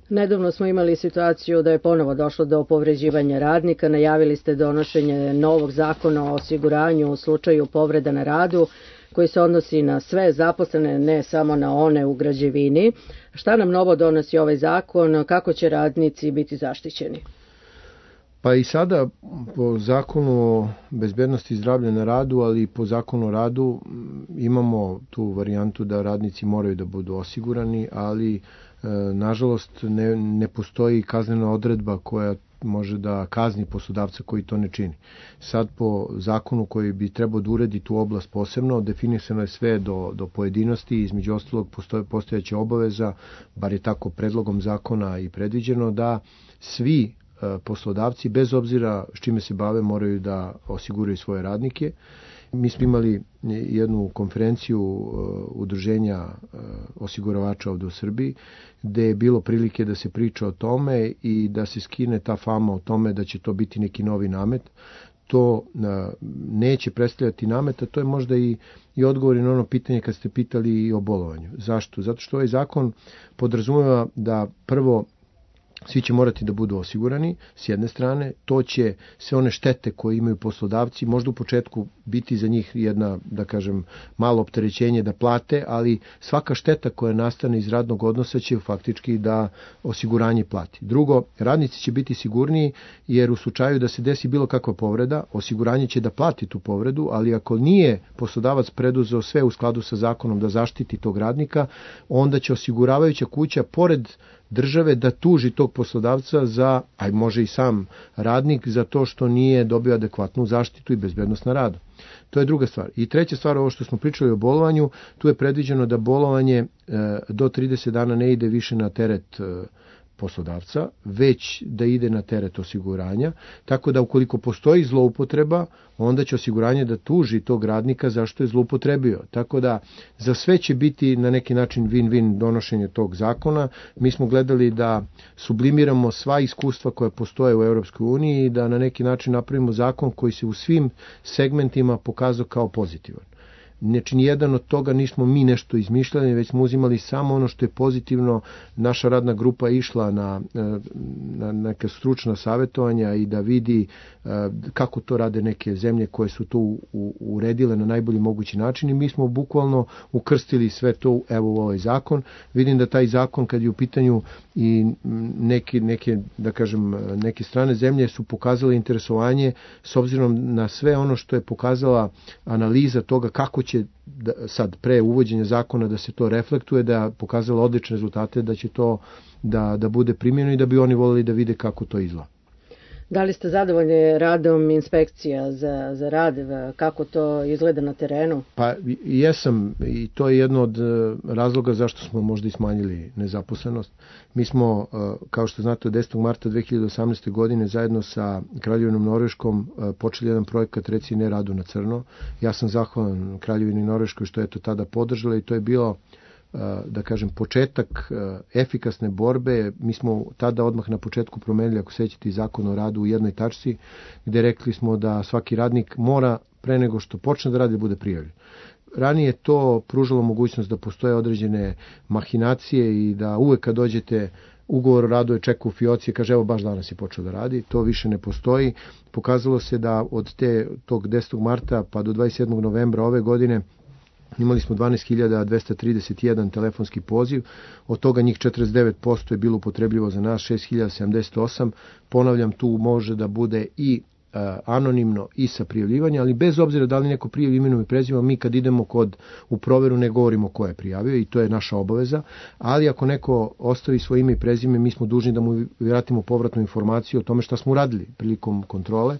Nedavno smo imali situaciju da je ponovo došlo do povređivanja radnika. Najavili ste donošenje novog zakona o osiguranju u slučaju povreda na radu, koji se odnosi na sve zaposlene, ne samo na one u građevini. Šta nam novo donosi ovaj zakon? Kako će radnici biti zaštićeni? Pa i sada po zakonu o bezbednosti i zdravlja na radu, ali i po zakonu o radu imamo tu varijantu da radnici moraju da budu osigurani, ali e, nažalost ne, ne postoji kaznena odredba koja može da kazni poslodavca koji to ne čini. Sad po zakonu koji bi trebao da uredi tu oblast posebno, definisano je sve do, do pojedinosti, između ostalog postoje postojeća obaveza, bar je tako predlogom zakona i predviđeno, da svi poslodavci, bez obzira s čime se bave, moraju da osiguraju svoje radnike. Mi smo imali jednu konferenciju udruženja osiguravača ovde u Srbiji, gde je bilo prilike da se priča o tome i da se skine ta fama o tome da će to biti neki novi namet. To neće predstavljati namet, a to je možda i, i odgovor na ono pitanje kad ste pitali i o bolovanju. Zašto? Zato što ovaj zakon podrazumeva da prvo svi će morati da budu osigurani, s jedne strane, to će sve one štete koje imaju poslodavci, možda u početku biti za njih jedna, da kažem, malo opterećenje da plate, ali svaka šteta koja nastane iz radnog odnosa će faktički da osiguranje plati. Drugo, radnici će biti sigurniji, jer u slučaju da se desi bilo kakva povreda, osiguranje će da plati tu povredu, ali ako nije poslodavac preduzeo sve u skladu sa zakonom da zaštiti tog radnika, onda će osiguravajuća kuća, pored države, da tuži tog poslodavca za, a može i sam radnik, za to što nije dobio adekvatnu zaštitu i bezbednost na radu. To je druga stvar. I treća stvar, ovo što smo pričali o bolovanju, tu je predviđeno da bolovanje e, do trideset dana ne ide više na teret e, poslodavca, već da ide na teret osiguranja, tako da ukoliko postoji zloupotreba, onda će osiguranje da tuži tog radnika zašto je zloupotrebio. Tako da za sve će biti na neki način win-win donošenje tog zakona. Mi smo gledali da sublimiramo sva iskustva koja postoje u Europskoj uniji i da na neki način napravimo zakon koji se u svim segmentima pokazao kao pozitivan. Znači, nijedan od toga nismo mi nešto izmišljali, već smo uzimali samo ono što je pozitivno. Naša radna grupa je išla na, na neka stručna savjetovanja i da vidi kako to rade neke zemlje koje su to uredile na najbolji mogući način i mi smo bukvalno ukrstili sve to evo u ovaj zakon. Vidim da taj zakon kad je u pitanju i neke, neke da kažem, neke strane zemlje su pokazale interesovanje s obzirom na sve ono što je pokazala analiza toga kako će da, sad pre uvođenja zakona da se to reflektuje, da pokazala odlične rezultate, da će to da, da bude primjeno i da bi oni voljeli da vide kako to izgleda. Da li ste zadovoljni radom inspekcija za, za rad, kako to izgleda na terenu? Pa jesam i to je jedno od razloga zašto smo možda i smanjili nezaposlenost. Mi smo, kao što znate, od desetog marta dve hiljade osamnaeste. godine zajedno sa Kraljevinom Norveškom počeli jedan projekat Reci ne radu na crno. Ja sam zahvalan Kraljevini Norveškoj što je to tada podržala i to je bilo da kažem početak efikasne borbe. Mi smo tada odmah na početku promenili, ako sećate, zakon o radu u jednoj tačci, gde rekli smo da svaki radnik mora pre nego što počne da radi bude prijavljen. Ranije to pružalo mogućnost da postoje određene mahinacije i da uvek kad dođete ugovor o radu je čeka u fioci i kaže evo baš danas je počeo da radi. To više ne postoji. Pokazalo se da od te, tog desetog marta pa do dvadeset sedmog novembra ove godine imali smo dvanaest hiljada dvesta trideset jedan telefonski poziv, od toga njih četrdeset devet posto je bilo upotrebljivo za nas, šest hiljada sedamdeset osam. Ponavljam, tu može da bude i uh, anonimno i sa prijavljivanja, ali bez obzira da li neko prijavi imenom i prezimenom, mi kad idemo kod u proveru ne govorimo ko je prijavio i to je naša obaveza, ali ako neko ostavi svoje ime i prezime, mi smo dužni da mu vratimo povratnu informaciju o tome šta smo uradili prilikom kontrole.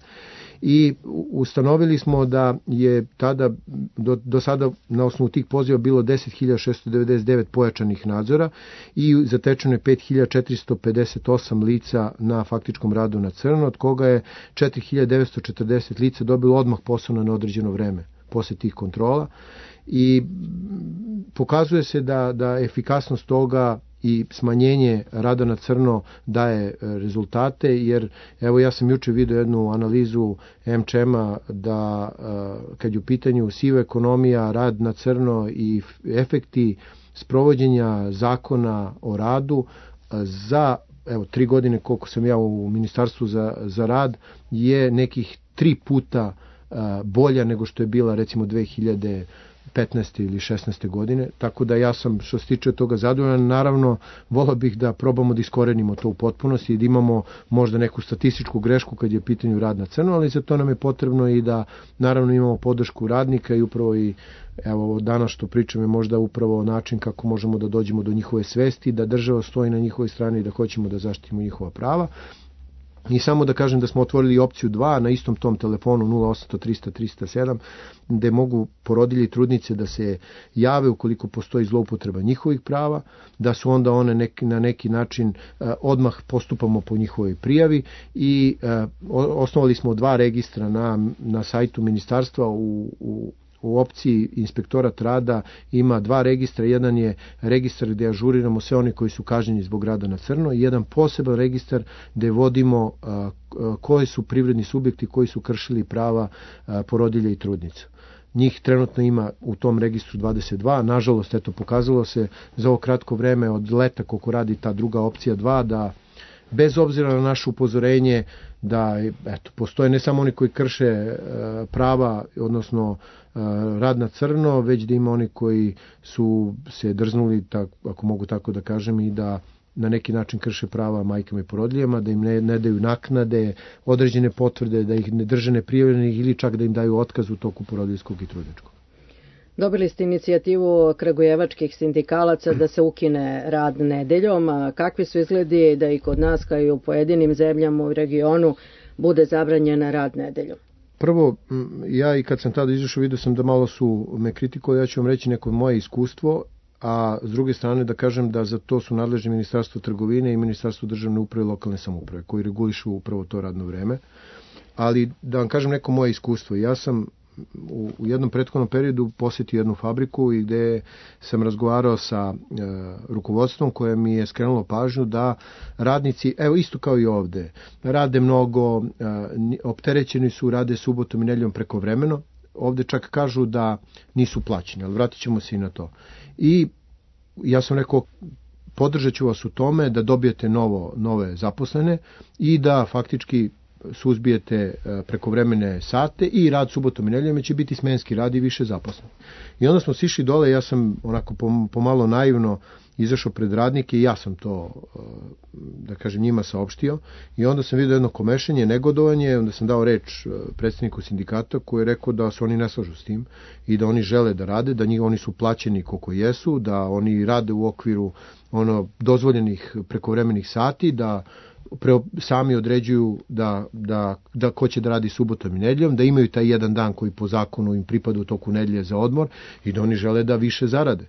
I ustanovili smo da je tada do, do sada na osnovu tih poziva bilo deset hiljada šessto devedeset devet pojačanih nadzora i zatečeno je pet hiljada četiristo pedeset osam lica na faktičkom radu na crno, od koga je četiri hiljade devetsto četrdeset lica dobilo odmah posao na neodređeno vreme posle tih kontrola i pokazuje se da, da efikasnost toga i smanjenje rada na crno daje rezultate, jer evo ja sam juče vidio jednu analizu em če ema da kad je u pitanju siva ekonomija, rad na crno i efekti sprovođenja zakona o radu za evo tri godine koliko sam ja u Ministarstvu za, za rad je nekih tri puta bolja nego što je bila recimo dve hiljade petnaeste ili šesnaeste. godine, tako da ja sam što se tiče toga zadovoljan. Naravno, volao bih da probamo da iskorenimo to u potpunosti i da imamo možda neku statističku grešku kad je u pitanju rad na crno, ali za to nam je potrebno i da naravno imamo podršku radnika i upravo i evo danas što pričam je možda upravo način kako možemo da dođemo do njihove svesti, da država stoji na njihovoj strani i da hoćemo da zaštitimo njihova prava. I samo da kažem da smo otvorili opciju dva na istom tom telefonu nula osam trista trista sedam, gde mogu porodilje i trudnice da se jave ukoliko postoji zloupotreba njihovih prava, da su onda one neki, na neki način eh, odmah postupamo po njihovoj prijavi i eh, osnovali smo dva registra na, na sajtu ministarstva u, u U opciji inspektorat rada ima dva registra, jedan je registar gde ažuriramo sve oni koji su kažnjeni zbog rada na crno i jedan poseban registar gde vodimo a, a, koji su privredni subjekti koji su kršili prava a, porodilja i trudnica. Njih trenutno ima u tom registru dvadeset dva, nažalost, eto, pokazalo se za ovo kratko vreme od leta koliko radi ta druga opcija dva, da bez obzira na naše upozorenje da eto, postoje ne samo oni koji krše e, prava, odnosno e, rad na crno, već da ima oni koji su se drznuli, tak, ako mogu tako da kažem, i da na neki način krše prava majkama i porodiljama, da im ne, ne daju naknade, određene potvrde, da ih ne drže neprijavljenih ili čak da im daju otkaz u toku porodiljskog i trudničkog. Dobili ste inicijativu kragujevačkih sindikalaca da se ukine rad nedeljom. A kakvi su izgledi da i kod nas, kao i u pojedinim zemljama u regionu, bude zabranjen rad nedeljom? Prvo, ja i kad sam tada izašao vidio sam da malo su me kritikovali, ja ću vam reći neko moje iskustvo, a s druge strane da kažem da za to su nadležni Ministarstvo trgovine i Ministarstvo državne uprave i lokalne samouprave koji regulišu upravo to radno vreme. Ali da vam kažem neko moje iskustvo, ja sam u, u jednom prethodnom periodu posjetio jednu fabriku i gde sam razgovarao sa e, rukovodstvom koje mi je skrenulo pažnju da radnici, evo isto kao i ovde, rade mnogo, e, opterećeni su, rade subotom i nedeljom prekovremeno, ovde čak kažu da nisu plaćeni, ali vratit ćemo se i na to. I ja sam rekao, podržat ću vas u tome da dobijete novo, nove zaposlene i da faktički suzbijete prekovremene sate i rad subotom i nedeljom će biti smenski rad i više zaposlenih. I onda smo sišli dole, ja sam onako pomalo naivno izašao pred radnike i ja sam to, da kažem, njima saopštio i onda sam vidio jedno komešanje, negodovanje, onda sam dao reč predstavniku sindikata koji je rekao da se oni ne slažu s tim i da oni žele da rade, da njih, oni su plaćeni koliko jesu, da oni rade u okviru ono dozvoljenih prekovremenih sati, da pre, sami određuju da, da, da ko će da radi subotom i nedeljom, da imaju taj jedan dan koji po zakonu im pripada u toku nedelje za odmor i da oni žele da više zarade.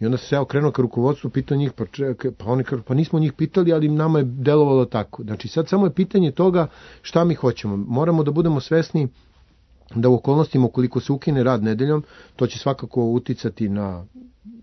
I onda se ja okrenuo ka rukovodstvu, pitao njih, pa, čekaj, pa oni kažu, pa nismo njih pitali, ali nama je delovalo tako. Znači sad samo je pitanje toga šta mi hoćemo. Moramo da budemo svesni da u okolnostima ukoliko se ukine rad nedeljom, to će svakako uticati na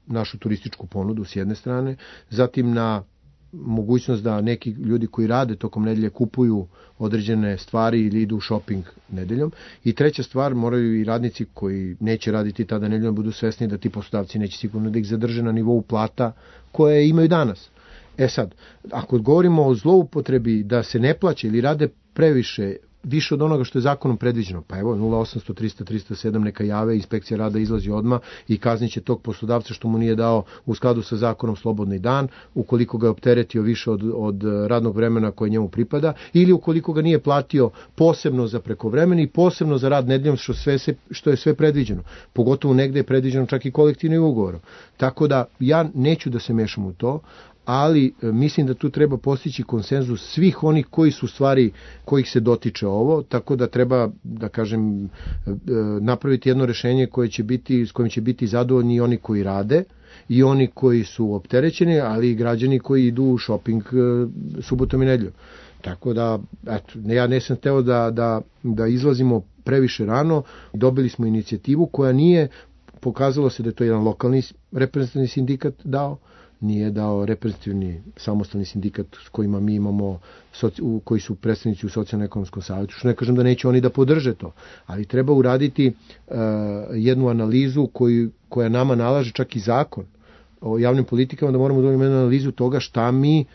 našu turističku ponudu s jedne strane, zatim na mogućnost da neki ljudi koji rade tokom nedelje kupuju određene stvari ili idu u shopping nedeljom. I treća stvar, moraju i radnici koji neće raditi tada nedeljom budu svesni da ti poslodavci neće sigurno da ih zadrže na nivou plata koje imaju danas. E sad, ako govorimo o zloupotrebi da se ne plaće ili rade previše, više od onoga što je zakonom predviđeno, pa evo nula osamsto trista trista sedam neka jave, inspekcija rada izlazi odmah i kazniće tog poslodavca što mu nije dao u skladu sa zakonom slobodni dan, ukoliko ga je opteretio više od, od radnog vremena koje njemu pripada, ili ukoliko ga nije platio posebno za prekovremeni i posebno za rad nedeljom, što, sve se, što je sve predviđeno. Pogotovo negde je predviđeno čak i kolektivnim ugovorom. Tako da ja neću da se mešam u to, ali mislim da tu treba postići konsenzus svih onih koji su stvari kojih se dotiče ovo, tako da treba, da kažem, napraviti jedno rešenje koje će biti, s kojim će biti zadovoljni i oni koji rade i oni koji su opterećeni, ali i građani koji idu u shopping subotom i nedeljom. Tako da, eto, ja nisam hteo da, da, da izlazimo previše rano, dobili smo inicijativu koja nije, pokazalo se da je to jedan lokalni reprezentativni sindikat dao, nije dao reprezentativni samostalni sindikat s kojima mi imamo, koji su predstavnici u socijalno-ekonomskom savjetu, što ne kažem da neće oni da podrže to, ali treba uraditi uh, jednu analizu koju, koja nama nalaže čak i zakon o javnim politikama, da moramo da imamo jednu analizu toga šta mi,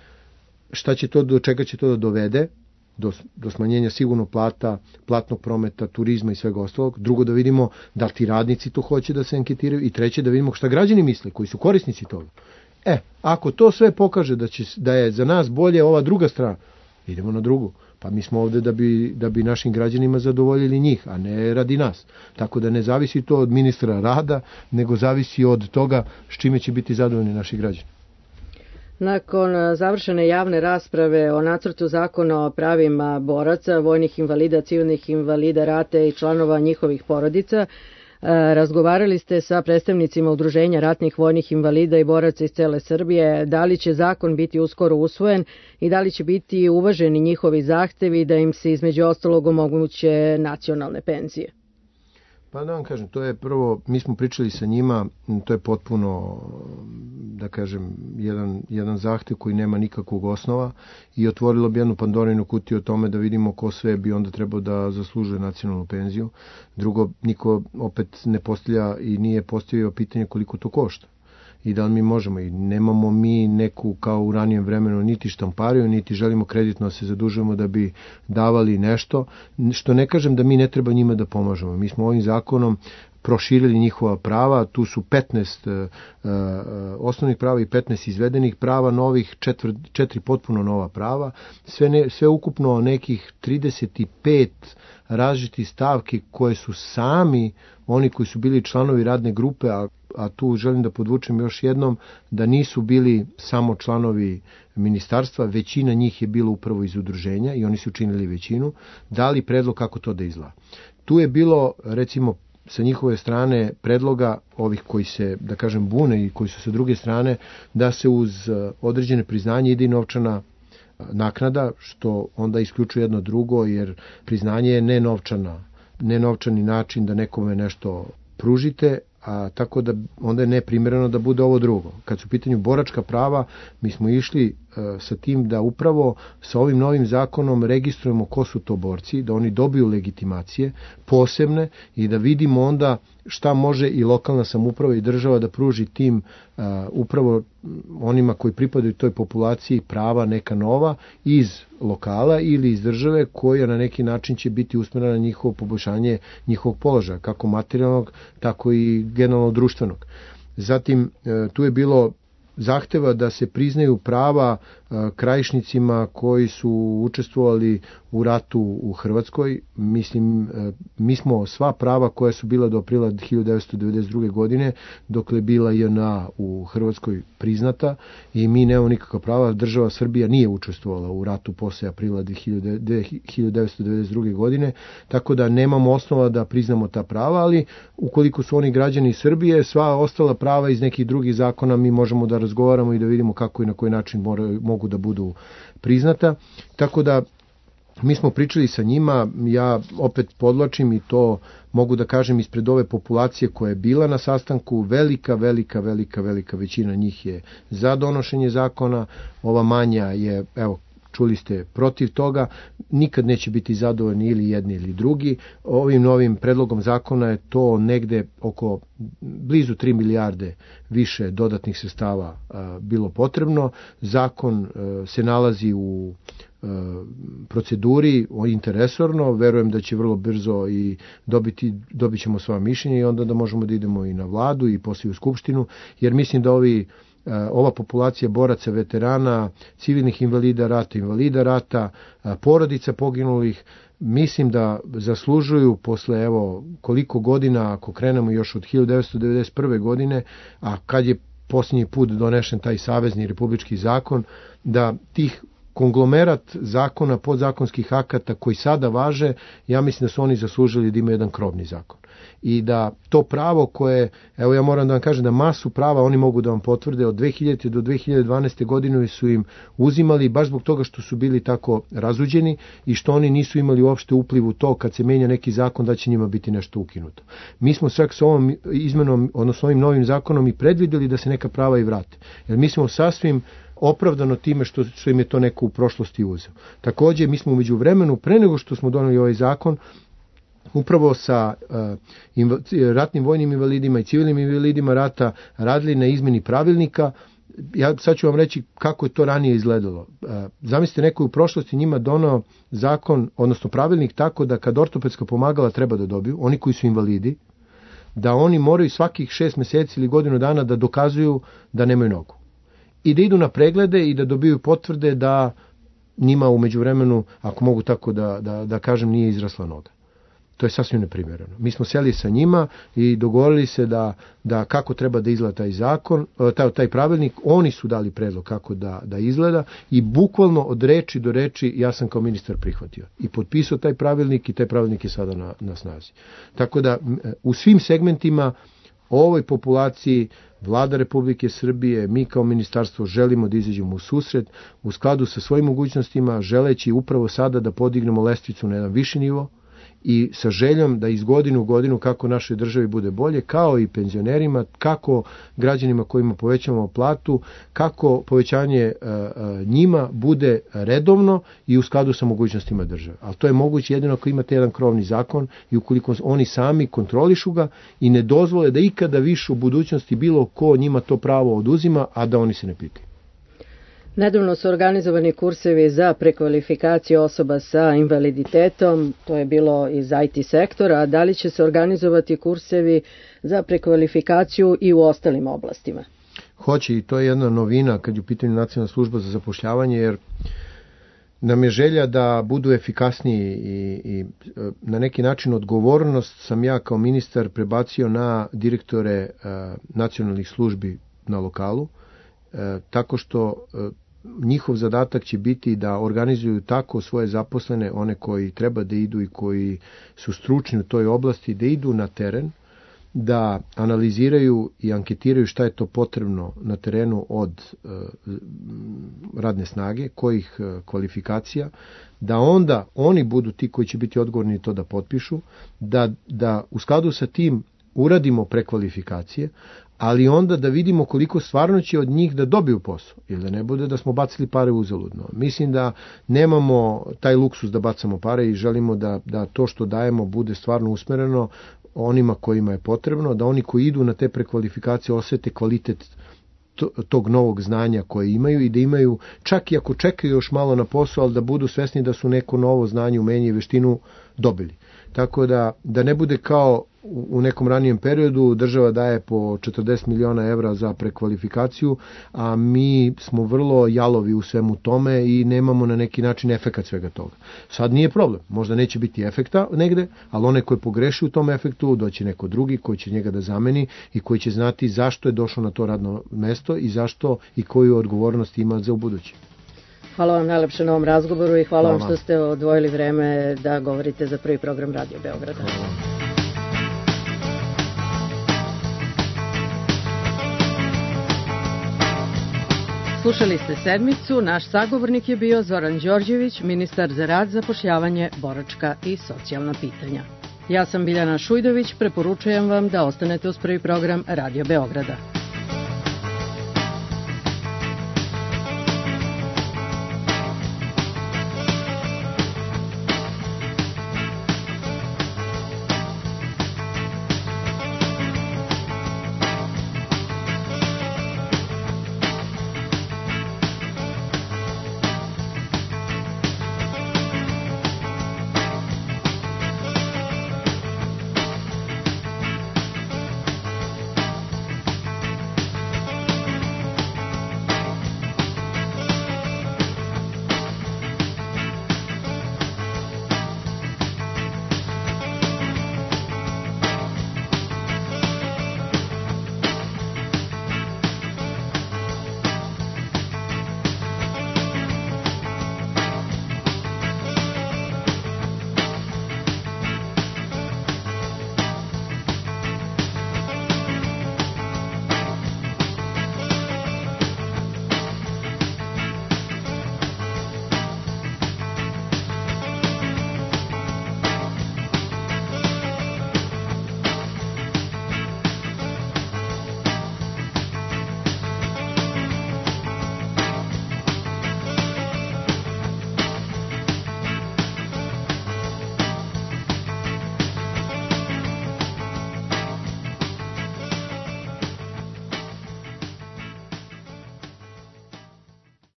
šta će to, do čega će to da dovede, do, do smanjenja sigurno plata, platnog prometa, turizma i svega ostalog. Drugo, da vidimo da li ti radnici to hoće da se anketiraju i treće, da vidimo šta građani misle, koji su korisnici toga. E, ako to sve pokaže da, će, da je za nas bolje ova druga strana, idemo na drugu. Pa mi smo ovde da bi, da bi našim građanima zadovoljili njih, a ne radi nas. Tako da ne zavisi to od ministra rada, nego zavisi od toga s čime će biti zadovoljni naši građani. Nakon završene javne rasprave o nacrtu zakona o pravima boraca, vojnih invalida, civilnih invalida rata i članova njihovih porodica, razgovarali ste sa predstavnicima Udruženja ratnih vojnih invalida i boraca iz cele Srbije. Da li će zakon biti uskoro usvojen i da li će biti uvaženi njihovi zahtevi da im se između ostalog omoguće nacionalne penzije? Pa da vam kažem, to je prvo, mi smo pričali sa njima, to je potpuno, da kažem, jedan, jedan zahtev koji nema nikakvog osnova i otvorilo bi jednu Pandorinu kutiju o tome da vidimo ko sve bi onda trebao da zaslužuje nacionalnu penziju. Drugo, niko opet ne postavlja i nije postavio pitanje koliko to košta i da li mi možemo, i nemamo mi neku kao u ranijem vremenu niti štampariju, niti želimo kreditno se zadužujemo da bi davali nešto, što ne kažem da mi ne treba njima da pomažemo. Mi smo ovim zakonom proširili njihova prava, tu su petnaest uh, osnovnih prava i petnaest izvedenih prava, novih četiri, četiri potpuno nova prava, sve, ne, sve ukupno nekih trideset pet različitih stavki koje su sami oni koji su bili članovi radne grupe, a, a tu želim da podvučem još jednom da nisu bili samo članovi ministarstva, većina njih je bilo upravo iz udruženja i oni su učinili većinu, dali predlog kako to da izgleda. Tu je bilo, recimo, sa njihove strane predloga ovih koji se, da kažem, bune i koji su sa druge strane, da se uz određene priznanje ide i novčana naknada, što onda isključuje jedno drugo, jer priznanje je nenovčana, nenovčani način da nekome nešto pružite, a tako da onda je neprimereno da bude ovo drugo. Kad su u pitanju boračka prava, mi smo išli sa tim da upravo sa ovim novim zakonom registrujemo ko su to borci, da oni dobiju legitimacije posebne i da vidimo onda šta može i lokalna samouprava i država da pruži tim uh, upravo onima koji pripadaju toj populaciji prava neka nova iz lokala ili iz države koja na neki način će biti usmjerena na njihovo poboljšanje njihovog položaja, kako materijalnog, tako i generalno društvenog. Zatim, uh, tu je bilo zahteva da se priznaju prava uh, krajišnicima koji su učestvovali u ratu u Hrvatskoj. Mislim, uh, mi smo sva prava koja su bila do aprila hiljadu devetsto devedeset druge. godine, dok je bila J N A u Hrvatskoj priznata i mi nemamo nikakva prava. Država Srbija nije učestvovala u ratu posle aprila hiljadu devetsto devedeset druge. godine, tako da nemamo osnova da priznamo ta prava, ali ukoliko su oni građani Srbije, sva ostala prava iz nekih drugih zakona mi možemo da razgovaramo i da vidimo kako i na koji način moraju, mogu da budu priznata. Tako da mi smo pričali sa njima, ja opet podlačim i to mogu da kažem ispred ove populacije koja je bila na sastanku, velika, velika, velika, velika većina njih je za donošenje zakona, ova manja je, evo, čuli ste, protiv toga, nikad neće biti zadovoljni ili jedni ili drugi. Ovim novim predlogom zakona je to negde oko blizu tri milijarde više dodatnih sredstava a, bilo potrebno. Zakon a, se nalazi u proceduri interesorno, verujem da će vrlo brzo i dobiti, dobit ćemo sva mišljenja i onda da možemo da idemo i na vladu i poslije u skupštinu, jer mislim da ovi ova populacija boraca, veterana, civilnih invalida rata, invalida rata, porodica poginulih, mislim da zaslužuju posle evo koliko godina, ako krenemo još od hiljadu devetsto devedeset prve. godine, a kad je posljednji put donešen taj savezni republički zakon, da tih konglomerat zakona, podzakonskih akata koji sada važe, ja mislim da su oni zaslužili da imaju jedan krovni zakon. I da to pravo koje, evo ja moram da vam kažem da masu prava oni mogu da vam potvrde, od dve hiljadite do dve hiljade dvanaeste. godine su im uzimali baš zbog toga što su bili tako razuđeni i što oni nisu imali uopšte upliv u to kad se menja neki zakon da će njima biti nešto ukinuto. Mi smo čak s ovom izmenom, odnosno ovim novim zakonom i predvideli da se neka prava i vrate. Jer mi smo sasvim opravdano time što, što im je to neko u prošlosti uzeo. Također, mi smo umeđu vremenu, pre nego što smo doneli ovaj zakon, upravo sa uh, inv, ratnim vojnim invalidima i civilnim invalidima rata radili na izmeni pravilnika. Ja sad ću vam reći kako je to ranije izgledalo. Uh, zamislite, neko je u prošlosti njima donao zakon, odnosno pravilnik tako da kad ortopedska pomagala treba da dobiju, oni koji su invalidi, da oni moraju svakih šest meseci ili godinu dana da dokazuju da nemaju nogu. I da idu na preglede i da dobiju potvrde da njima u međuvremenu, ako mogu tako da, da, da kažem, nije izrasla noga. To je sasvim neprimjereno. Mi smo sjeli sa njima i dogovorili se da, da kako treba da izgleda taj zakon, taj, taj pravilnik, oni su dali predlog kako da, da izgleda i bukvalno od reči do reči ja sam kao ministar prihvatio. I potpisao taj pravilnik i taj pravilnik je sada na, na snazi. Tako da u svim segmentima ovoj populaciji Vlada Republike Srbije, mi kao ministarstvo želimo da izađemo u susret u skladu sa svojim mogućnostima, želeći upravo sada da podignemo lestvicu na jedan viši nivo i sa željom da iz godine u godinu kako našoj državi bude bolje, kao i penzionerima, kako građanima kojima povećamo platu, kako povećanje uh, uh, njima bude redovno i u skladu sa mogućnostima države. Ali to je moguće jedino ako imate jedan krovni zakon i ukoliko oni sami kontrolišu ga i ne dozvole da ikada više u budućnosti bilo ko njima to pravo oduzima, a da oni se ne pitaju. Nedavno su organizovani kursevi za prekvalifikaciju osoba sa invaliditetom, to je bilo iz I T sektora, a da li će se organizovati kursevi za prekvalifikaciju i u ostalim oblastima? Hoće, i to je jedna novina kad je u pitanju Nacionalna služba za zapošljavanje, jer nam je želja da budu efikasniji i, i na neki način odgovornost sam ja kao ministar prebacio na direktore uh, nacionalnih službi na lokalu, uh, tako što uh, njihov zadatak će biti da organizuju tako svoje zaposlene, one koji treba da idu i koji su stručni u toj oblasti, da idu na teren, da analiziraju i anketiraju šta je to potrebno na terenu od uh, radne snage, kojih uh, kvalifikacija, da onda oni budu ti koji će biti odgovorni to da potpišu, da, da u skladu sa tim uradimo prekvalifikacije, ali onda da vidimo koliko stvarno će od njih da dobiju posao, ili da ne bude da smo bacili pare uzaludno. Mislim da nemamo taj luksus da bacamo pare i želimo da, da to što dajemo bude stvarno usmereno onima kojima je potrebno, da oni koji idu na te prekvalifikacije osete kvalitet tog novog znanja koje imaju i da imaju, čak i ako čekaju još malo na posao, ali da budu svesni da su neko novo znanje, umenje i veštinu dobili. Tako da, da ne bude kao u nekom ranijem periodu, država daje po četrdeset miliona evra za prekvalifikaciju, a mi smo vrlo jalovi u svemu tome i nemamo na neki način efekat svega toga. Sad nije problem, možda neće biti efekta negde, ali onaj koji pogreši u tom efektu, doći neko drugi koji će njega da zameni i koji će znati zašto je došao na to radno mesto i zašto i koju odgovornost ima za ubuduće. Hvala vam najlepše na ovom razgovoru i hvala, hvala vam što ste odvojili vreme da govorite za prvi program Radio Beograda. Hvala. Slušali ste Sedmicu, naš sagovornik je bio Zoran Đorđević, ministar za rad, zapošljavanje, boračka i socijalna pitanja. Ja sam Biljana Šujdović, preporučujem vam da ostanete uz prvi program Radio Beograda.